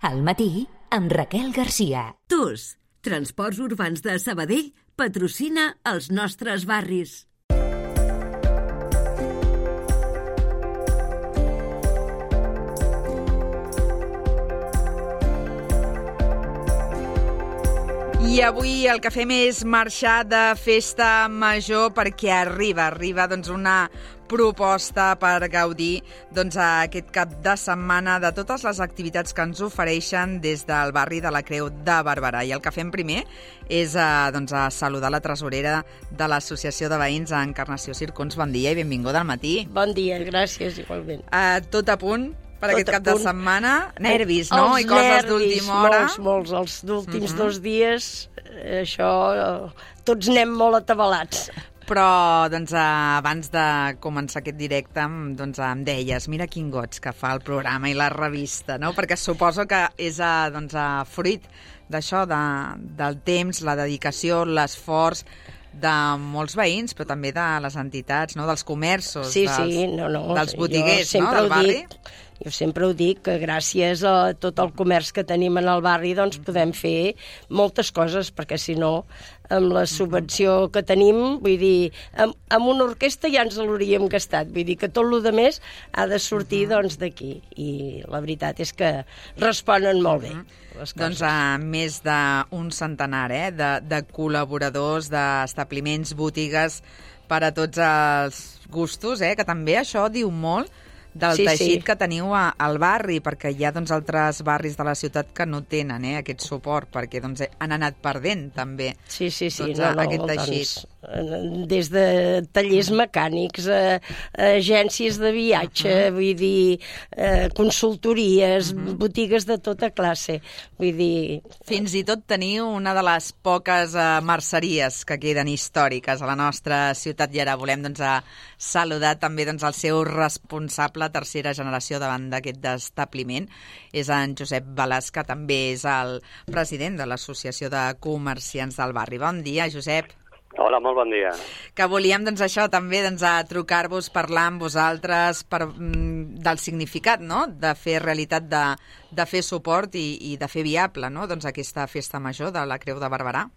Al matí, amb Raquel Garcia. TUS, Transports Urbans de Sabadell, patrocina els nostres barris. I avui el que fem és marxar de festa major perquè arriba doncs, una proposta per gaudir aquest cap de setmana de totes les activitats que ens ofereixen des del barri de la Creu de Barberà. I el que fem primer és a saludar la tresorera de l'Associació de Veïns Encarnació Circons. Bon dia i benvinguda al matí. Bon dia, gràcies, igualment. Tot a punt per aquest cap de setmana? Nervis, no? I coses d'última hora? Molts. Els últims 2 dies, això, tots anem molt atabalats. Però, abans de començar aquest directe, em deies, mira quin goig que fa el programa i la revista, no? Perquè suposo que és fruit d'això, del temps, la dedicació, l'esforç de molts veïns, però també de les entitats, no? Dels comerços, dels botiguers, no? Del barri. Jo sempre ho dic, que gràcies a tot el comerç que tenim en el barri doncs podem fer moltes coses, perquè si no, amb la subvenció que tenim, vull dir, amb una orquestra ja ens l'hauríem gastat, vull dir que tot el més ha de sortir d'aquí, i la veritat és que responen molt bé. Doncs més d'un centenar de col·laboradors, d'establiments, botigues, per a tots els gustos, que també això diu molt del teixit que teniu al barri, perquè hi ha altres barris de la ciutat que no tenen aquest suport, perquè han anat perdent també aquest teixit. Des de tallers mecànics, agències de viatge, vull dir, consultories, botigues de tota classe, vull dir... Fins i tot teniu una de les poques merceries que queden històriques a la nostra ciutat, i ara volem saludar també el seu responsable, tercera generació davant d'aquest establiment, és en Josep Balàs, que també és el president de l'Associació de Comerciants del Barri. Bon dia, Josep. Hola, molt bon dia. Que volíem, això, també, trucar-vos, parlar amb vosaltres del significat, no?, de fer realitat, de fer suport i de fer viable, no?, aquesta festa major de la Creu de Barberà.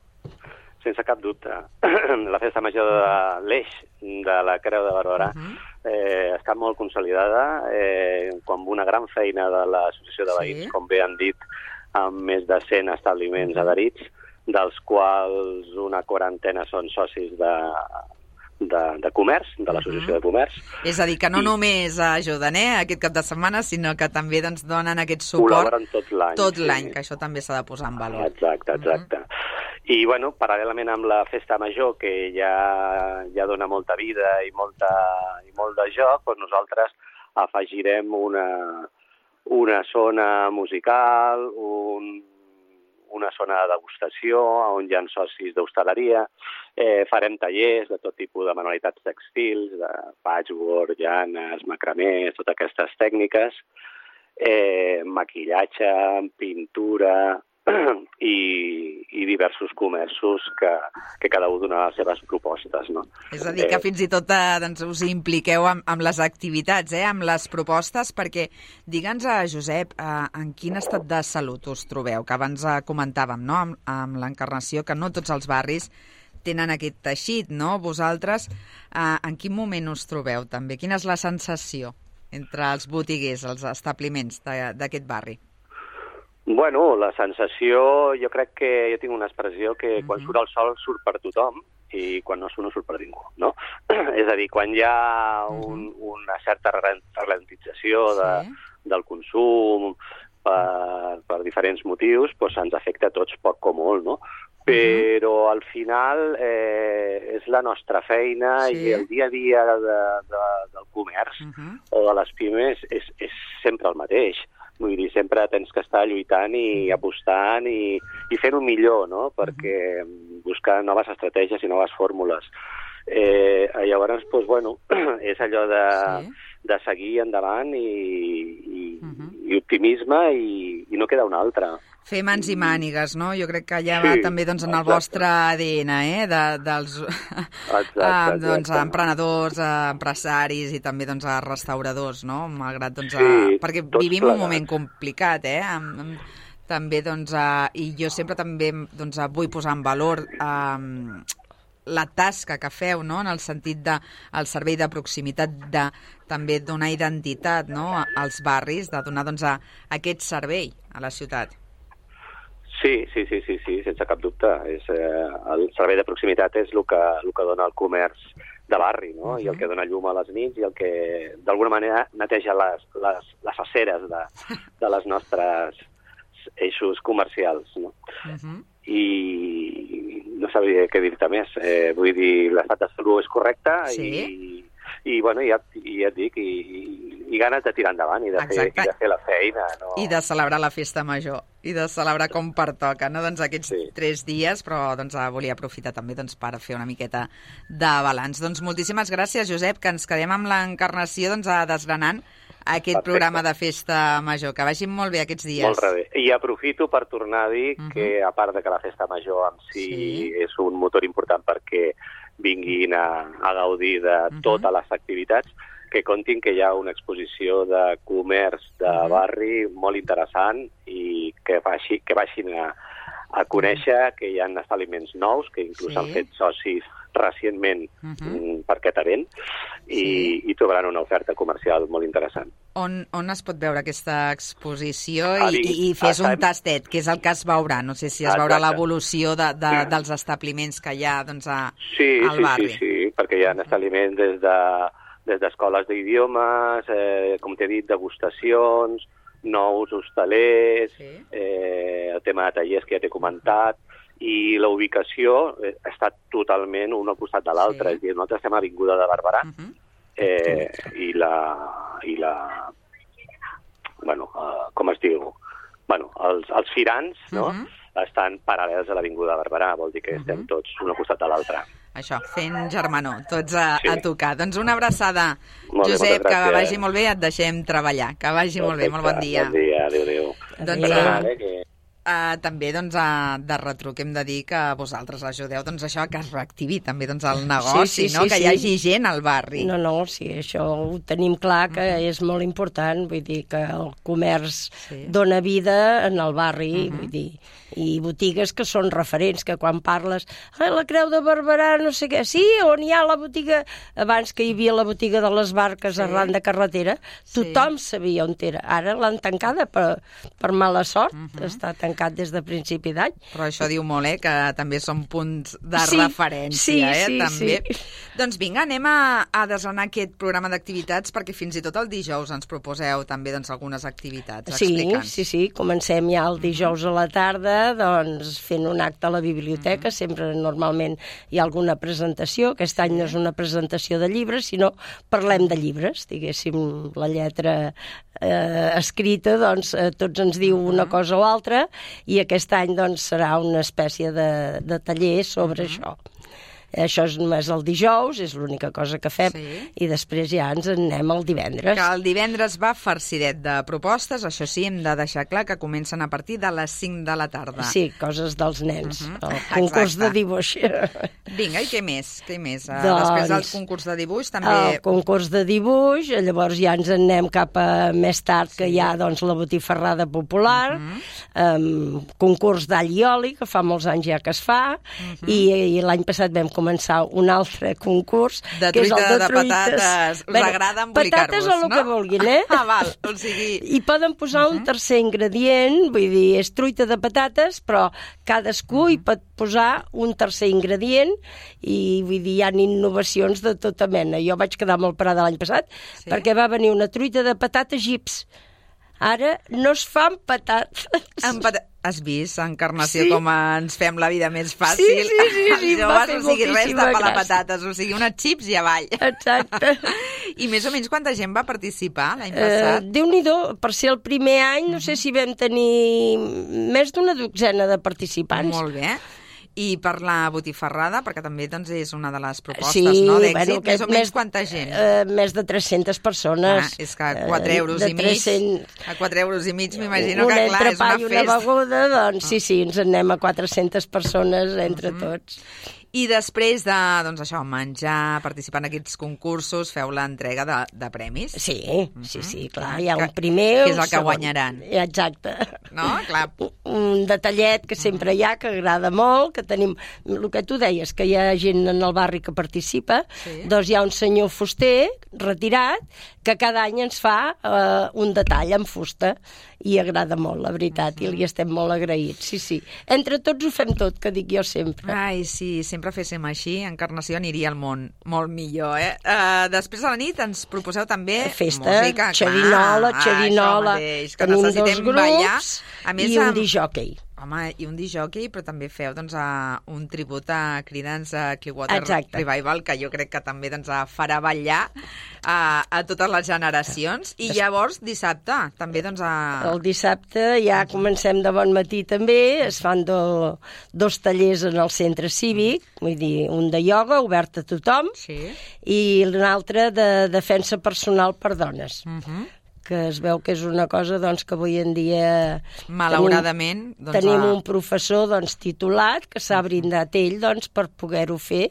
Sense cap dubte. La festa major de l'Eix de la Creu de Barberà està molt consolidada, amb una gran feina de l'Associació de Veïns, com bé han dit, amb més de 100 establiments adherits, dels quals una quarantena són socis de comerç, de l'Associació de Comerç. És a dir, que no només ajuden aquest cap de setmana, sinó que també donen aquest suport... Col·laboren tot l'any, que això també s'ha de posar en valor. Exacte. I, paral·lelament amb la festa major, que ja dona molta vida i molt de joc, doncs nosaltres afegirem una zona musical, una zona de degustació, on hi ha socis d'hostaleria, farem tallers de tot tipus de manualitats textils, de patchwork, llanes, macramés, totes aquestes tècniques, maquillatge, pintura i diversos comerços que cada un dona les seves propostes, no? És a dir, que fins i tot us impliqueu amb les activitats, amb les propostes, perquè digue'ns, Josep, en quin estat de salut us trobeu? Que abans comentàvem, no?, amb l'Encarnació, que no tots els barris tenen aquest teixit, no? Vosaltres, en quin moment us trobeu també? Quina és la sensació entre els botiguers, els establiments d'aquest barri? Bueno, la sensació, jo crec que jo tinc una expressió que quan surt el sol surt per tothom i quan no surt per ningú, no? És a dir, quan hi ha una certa ralentització del consum per diferents motius, doncs ens afecta a tots poc o molt, no? Però al final és la nostra feina i el dia a dia del comerç o de les pimes és sempre el mateix. Vull dir, sempre tens que estar lluitant i apostant i fent-ho millor, no?, perquè buscar noves estratègies i noves fórmules. Llavors, doncs, bueno, és allò de seguir endavant i optimisme i no queda una altra. Fer mans i mànigues, no? Jo crec que allà va també doncs, en el vostre ADN, dels doncs, emprenedors, empresaris i també doncs, restauradors, no? Malgrat, doncs, perquè vivim un moment complicat, també, doncs, i jo sempre també doncs, vull posar en valor la tasca que feu, no?, en el sentit del servei de proximitat, de també donar identitat, no?, als barris, de donar doncs, aquest servei a la ciutat. Sí, sense cap dubte. El servei de proximitat és el que dona el comerç de barri, no? I el que dona llum a les nits i el que, d'alguna manera, neteja les aceres de les nostres eixos comercials, no? I no sabria què dir-te més. Vull dir, l'estat de salut és correcte i bueno, ja et dic, i ganes de tirar endavant i de fer la feina. No? I de celebrar la festa major, i de celebrar com pertoca, no? Doncs aquests 3 dies, però doncs, volia aprofitar també doncs, per fer una miqueta de balanç. Doncs moltíssimes gràcies, Josep, que ens quedem amb l'Encarnació doncs, desgranant aquest programa de festa major. Que vagin molt bé aquests dies. Molt bé. I aprofito per tornar a dir que, a part de que la festa major en si és un motor important perquè vinguin a gaudir de totes les activitats, que comptin que hi ha una exposició de comerç de barri molt interessant i que vagin a conèixer que hi ha establiments nous, que inclús han fet socis recentment per aquest event i trobaran una oferta comercial molt interessant. On es pot veure aquesta exposició i fes un tastet, que és el que es veurà? No sé si es veurà l'evolució dels establiments que hi ha doncs, al barri. Sí, perquè hi ha establiments des d'escoles d'idiomes, com t'he dit, degustacions, nous hostalers, el tema de tallers que ja t'he comentat, i la ubicació està totalment un al costat de l'altre. És a dir, nosaltres estem a Avinguda de Barberà i la bueno, com es diu? Bueno, els firans, no?, estan paral·lels a l'Avinguda de Barberà, vol dir que estem tots un al costat de l'altre. Això, fent germanor, tots a tocar. Doncs una abraçada, Josep, que vagi molt bé, et deixem treballar. Que vagi molt bé, molt bon dia. Bon dia, adéu. Doncs també doncs, de retruc hem de dir que vosaltres ajudeu doncs, això que es reactivi també doncs, el negoci, que hi hagi gent al barri. No, sí, això ho tenim clar que és molt important, vull dir que el comerç dona vida en el barri, vull dir, i botigues que són referents, que quan parles la Creu de Barberà, no sé què, sí, on hi ha la botiga, abans que hi havia la botiga de les barques arran de carretera, tothom sabia on era. Ara l'han tancada per mala sort, està tancat des de principi d'any. Però això diu molt, que també són punts de referència, també. Doncs vinga, anem a desgranar aquest programa d'activitats, perquè fins i tot el dijous ens proposeu també doncs, algunes activitats. Explica'ns. Sí, comencem ja el dijous a la tarda, doncs fent un acte a la biblioteca, sempre normalment hi ha alguna presentació, aquest any no és una presentació de llibres, sinó parlem de llibres, diguéssim, la lletra escrita, doncs tots ens diu una cosa o altra, i aquest any doncs serà una espècie de taller sobre això. Això és només el dijous, és l'única cosa que fem, i després ja ens en anem el divendres. Que el divendres va farcidet de propostes, això sí, hem de deixar clar que comencen a partir de les 5 de la tarda. Sí, coses dels nens, el concurs de dibuix. Vinga, i què més? Després del concurs de dibuix també... El concurs de dibuix, llavors ja ens en anem cap a més tard, que hi ha doncs, la botifarrada popular, concurs d'all i oli, que fa molts anys ja que es fa, i l'any passat vam començar un altre concurs, que és el de patates. Us agrada embolicar-vos, patates o el que vulguin, val, o sigui... I poden posar un tercer ingredient, vull dir, és truita de patates, però cadascú hi pot posar un tercer ingredient i vull dir, hi ha innovacions de tota mena. Jo vaig quedar molt parada l'any passat perquè va venir una truita de patates gips. Ara no es fan patates. Has vist, Encarnació, com ens fem la vida més fàcil? Sí, va fer o sigui, res de pelar gràcia. Patates, o sigui, unes xips i avall. Exacte. I més o menys quanta gent va participar l'any passat? Déu-n'hi-do, per ser el primer any, no sé si vam tenir més d'una dotzena de participants. Molt bé. I per la botifarrada, perquè també doncs, és una de les propostes, sí, no? D'èxit, més o menys quanta gent? Més de 300 persones. És que 4 euros i mig, a 4 euros i mig m'imagino que, clar, és una festa. Un entrepà i una beguda, doncs sí, ens en anem a 400 persones entre tots. I després de, doncs això, menjar, participar en aquests concursos, feu l'entrega de premis. Sí, clar, hi ha un primer... Que és el que guanyaran. Exacte. No? Clar. Un detallet que sempre hi ha, que agrada molt, que tenim... El que tu deies, que hi ha gent en el barri que participa, doncs hi ha un senyor fuster retirat que cada any ens fa un detall en fusta i agrada molt, la veritat, i li estem molt agraïts, sí. Entre tots ho fem tot, que dic jo sempre. Ai, sí, sempre féssim així, Encarnació aniria al món molt millor, Després a la nit ens proposeu també festa, música, xerinola, que tenim necessitem 2 ballar. grups A més, i un discjockey. Home, i un disjockey, però també feu doncs, un tribut a Creedence Clearwater Exacte. Revival, que jo crec que també doncs, farà ballar a totes les generacions. I llavors, dissabte, també doncs... El dissabte ja comencem de bon matí també, es fan 2 tallers en el centre cívic, vull dir, un de ioga, obert a tothom, i l'altre de defensa personal per dones. Que es veu que és una cosa doncs, que avui en dia... Malauradament... Tenim un professor doncs, titulat que s'ha brindat ell doncs, per poder-ho fer.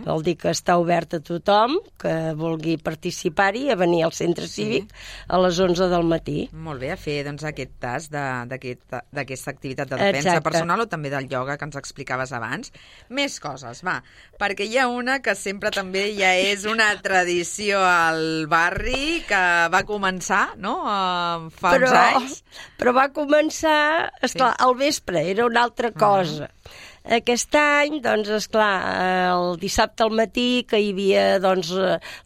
Vol dir que està obert a tothom que vulgui participar-hi, a venir al centre cívic a les 11 del matí. Molt bé, a fer doncs, aquest tast d'aquesta activitat de defensa personal o també del ioga que ens explicaves abans. Més coses, va, perquè hi ha una que sempre també ja és una tradició al barri que va començar, no? Fa uns anys. Però va començar, esclar, al vespre, era una altra cosa. Aquest any, doncs, esclar, el dissabte al matí, que hi havia, doncs,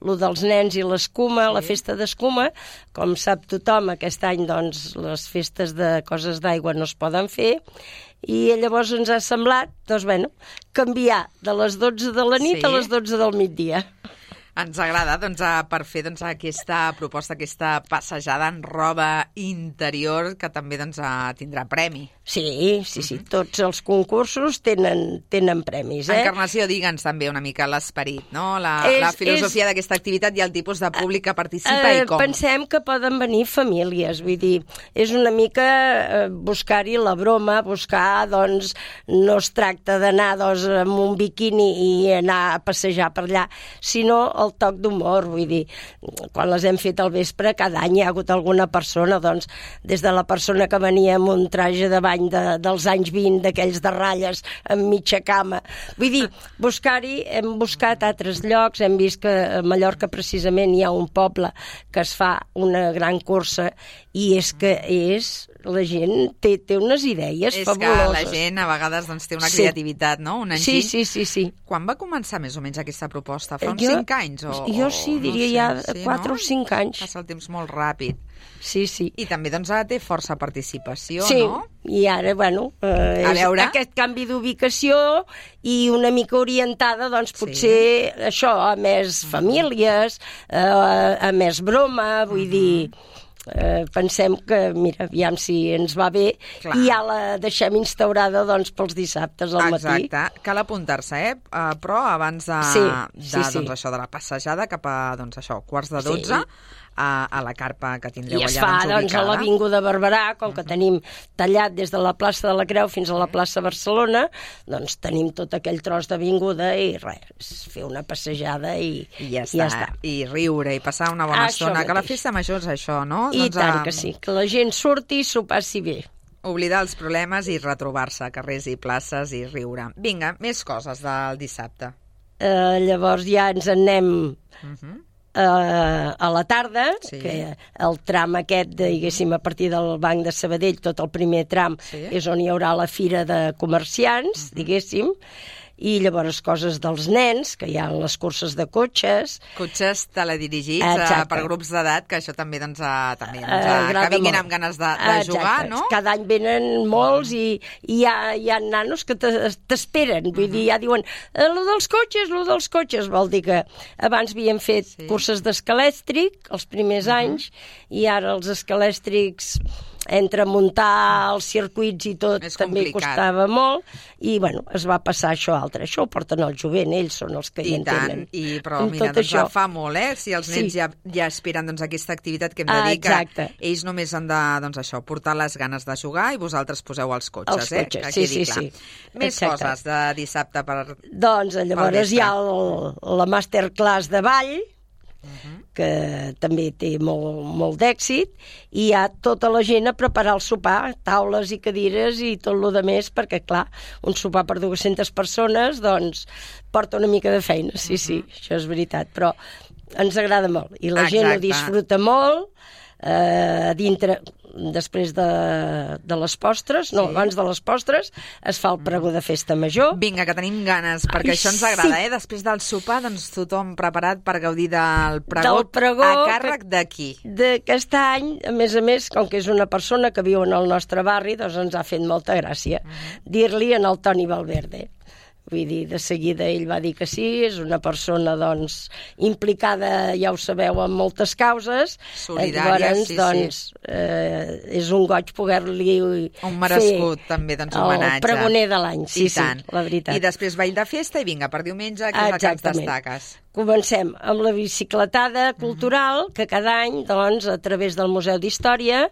lo dels nens i l'escuma, la festa d'escuma, com sap tothom, aquest any, doncs, les festes de coses d'aigua no es poden fer, i llavors ens ha semblat, doncs, bueno, canviar de les 12 de la nit a les 12 del migdia. Ens agrada doncs, per fer doncs, aquesta proposta, aquesta passejada en roba interior que també doncs, tindrà premi. Sí, tots els concursos tenen premis. Encarnació, digue'ns també una mica l'esperit, no? La filosofia d'aquesta activitat i el tipus de públic que participa i com. Pensem que poden venir famílies, vull dir, és una mica buscar-hi la broma, buscar, doncs, no es tracta d'anar doncs, amb un biquini i anar a passejar per allà, sinó el toc d'humor, vull dir, quan les hem fet al vespre, cada any hi ha hagut alguna persona, doncs, des de la persona que venia amb un traje de bany dels anys 20, d'aquells de ratlles amb mitja cama. Vull dir, hem buscat altres llocs, hem vist que a Mallorca precisament hi ha un poble que es fa una gran cursa i és que la gent té unes idees fabuloses. És que la gent a vegades doncs, té una creativitat, no? Un enginy. Sí. Quan va començar més o menys aquesta proposta? Fa uns 5 anys? Jo sí, diria ja 4 o 5 anys. Passa el temps molt ràpid. Sí. I també doncs, ara té força participació, no? Sí, i ara, bueno, aquest canvi d'ubicació i una mica orientada, doncs, potser això, a més famílies, a més broma, vull dir... pensem que, mira, aviam si ens va bé. Clar. I ja la deixem instaurada doncs, pels dissabtes al matí. Exacte, cal apuntar-se, però abans doncs, això de la passejada cap a doncs, això, 11:45 a la carpa que tindreu allà ubicada. I es fa a l'Avinguda Barberà, com que tenim tallat des de la plaça de la Creu fins a la plaça Barcelona, doncs tenim tot aquell tros d'avinguda i res, fer una passejada i ja està. I riure i passar una bona estona. Que la festa major és això, no? I tant que sí, que la gent surti i s'ho passi bé. Oblidar els problemes i retrobar-se a carrers i places i riure. Vinga, més coses del dissabte. Llavors ja ens en anem... a la tarda, que el tram aquest, diguéssim, a partir del Banc de Sabadell, tot el primer tram és on hi haurà la fira de comerciants, diguéssim, i llavors coses dels nens, que hi ha les curses de cotxes. Cotxes teledirigits per grups d'edat, que això també doncs, que vinguin amb ganes de jugar, no? Cada any venen molts i hi ha nanos que t'esperen, vull dir, ja diuen lo dels cotxes, vol dir que abans havíem fet curses d'escalèstric els primers anys i ara els escalèstrics entre muntar els circuits i tot també costava molt, i bueno, es va passar això altre. Això ho porten el jovent, ells són els que hi entenen. Però mira, doncs fa molt, si els nens ja aspiren aquesta activitat que hem de dir que ells només han de, doncs això, portar les ganes de jugar i vosaltres poseu els cotxes, que quedi clar. Més coses de dissabte per... Doncs llavors hi ha la masterclass de ball, que també té molt d'èxit, i hi ha tota la gent a preparar el sopar, taules i cadires i tot el més, perquè, clar, un sopar per 200 persones, doncs, porta una mica de feina, sí, això és veritat, però ens agrada molt, i la gent ho disfruta molt, dintre... Després de les postres, abans de les postres, es fa el pregó de festa major. Vinga, que tenim ganes, perquè això ens agrada, Després del sopar, doncs tothom preparat per gaudir del pregó a càrrec d'aquí. D'aquest any, a més, com que és una persona que viu en el nostre barri, doncs ens ha fet molta gràcia dir-li en el Toni Valverde. Vull dir, de seguida ell va dir que sí, és una persona, doncs, implicada, ja ho sabeu, en moltes causes. Solidària, doncs, és un goig poder-li un merescut, també, doncs, homenatge. El pregoner de l'any, sí, la veritat. I després ball de festa i vinga, per diumenge, que és el que ens destaques. Comencem amb la bicicletada cultural, que cada any, doncs, a través del Museu d'Història,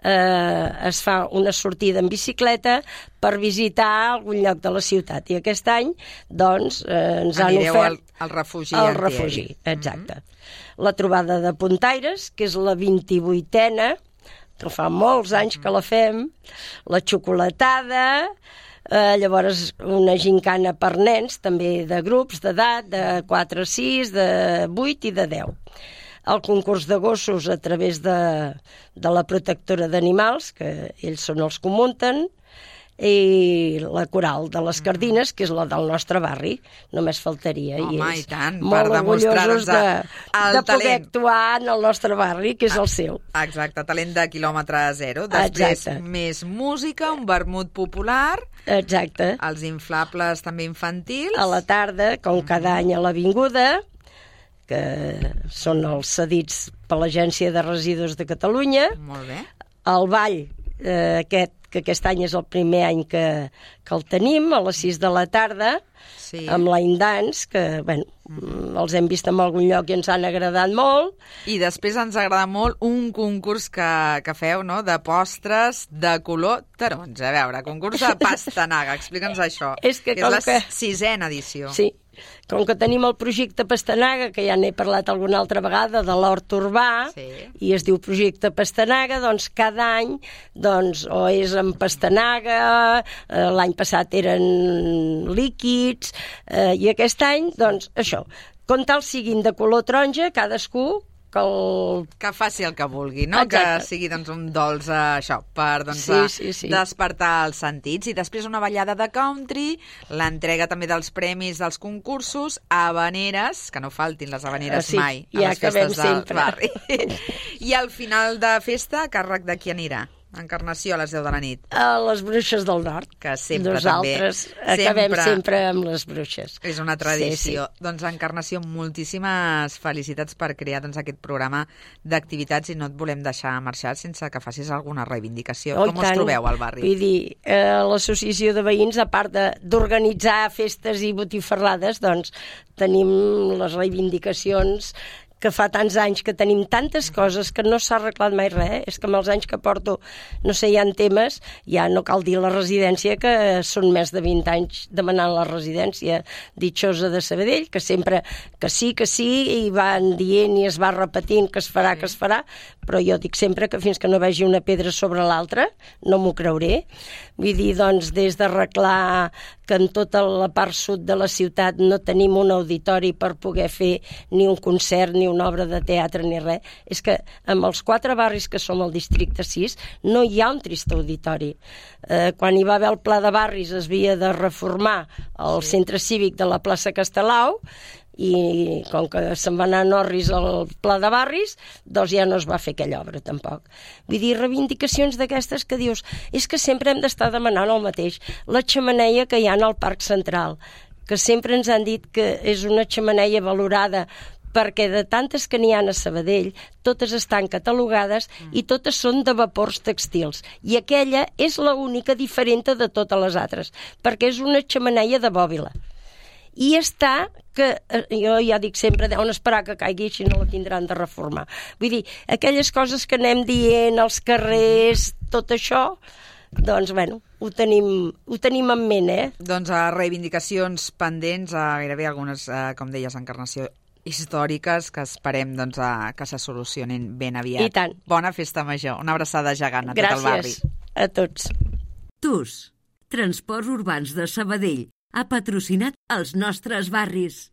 es fa una sortida en bicicleta per visitar algun lloc de la ciutat. I aquest any, doncs, ens han ofert... al refugi. Al refugi, exacte. La trobada de puntaires, que és la 28a, que fa molts anys que la fem, la xocolatada... llavors una gincana per nens, també de grups d'edat, de 4 a 6, de 8 i de 10. El concurs de gossos a través de la protectora d'animals, que ells són els que ho munten, i la coral de les Cardines, que és la del nostre barri, només faltaria. Home, i tant, molt orgullosos de poder actuar en el nostre barri, que és el seu. Exacte, talent de quilòmetre zero. Després, més música, un vermut popular. Exacte. Els inflables també infantils. A la tarda, com cada any a l'Avinguda, que són els cedits per l'Agència de Residus de Catalunya. Molt bé. El ball, que aquest any és el primer any que el tenim, a les 6 de la tarda, amb Line Dance, que, bueno, els hem vist en algun lloc i ens han agradat molt. I després ens agrada molt un concurs que feu, no?, de postres de color taronja. A veure, concurs de pastanaga, explica'ns això. És la 6ª edició. Sí. Com que tenim el projecte Pastanaga, que ja n'he parlat alguna altra vegada, de l'hort urbà, i es diu projecte Pastanaga, doncs cada any o és amb pastanaga, l'any passat eren líquids, i aquest any, doncs, això, com tal siguin de color taronja, cadascú que faci el que vulgui, no? Exacte. Que sigui doncs, un dolç, això, per despertar els sentits. I després una ballada de country, l'entrega també dels premis dels concursos, habaneres, que no faltin les habaneres mai a les festes del barri. I al final de festa, a càrrec de qui anirà? Encarnació a les 10 de la nit. A les Bruixes del Nord. Que sempre nosaltres acabem sempre amb les Bruixes. És una tradició. Doncs Encarnació, moltíssimes felicitats per crear aquest programa d'activitats i no et volem deixar marxar sense que facis alguna reivindicació. Com us trobeu al barri? Vull dir, l'associació de veïns, a part d'organitzar festes i botifarrades, doncs tenim les reivindicacions que fa tants anys que tenim tantes coses que no s'ha arreglat mai res. És que amb els anys que porto, no sé, hi ha temes, ja no cal dir la residència, que són més de 20 anys demanant la residència ditxosa de Sabadell, que sempre que sí, i van dient i es va repetint que es farà, però jo dic sempre que fins que no vegi una pedra sobre l'altra no m'ho creuré. Vull dir, doncs, des d'arreglar que en tota la part sud de la ciutat no tenim un auditori per poder fer ni un concert, ni una obra de teatre, ni res. És que amb els 4 barris que som al districte 6 no hi ha un trist auditori. Quan hi va haver el pla de barris es havia de reformar el centre cívic de la plaça Castelau, i com que se'n va anar a Norris al pla de barris, doncs ja no es va fer aquella obra tampoc. Vull dir, reivindicacions d'aquestes que dius, és que sempre hem d'estar demanant el mateix. La xemeneia que hi ha al Parc Central, que sempre ens han dit que és una xemeneia valorada perquè de tantes que n'hi ha a Sabadell, totes estan catalogades i totes són de vapors tèxtils. I aquella és l'única diferent de totes les altres, perquè és una xemeneia de bòbila. I està, que jo ja dic sempre, deuen esperar que caigui, si no la tindran de reformar. Vull dir, aquelles coses que anem dient als carrers, tot això, doncs, bueno, ho tenim en ment, Doncs reivindicacions pendents, gairebé algunes, com deies, encarnació històriques que esperem doncs, que se solucionin ben aviat. I tant. Bona festa major. Una abraçada gegant a tot el barri. Gràcies a tots. TUS, Transports Urbans de Sabadell, ha patrocinat els nostres barris.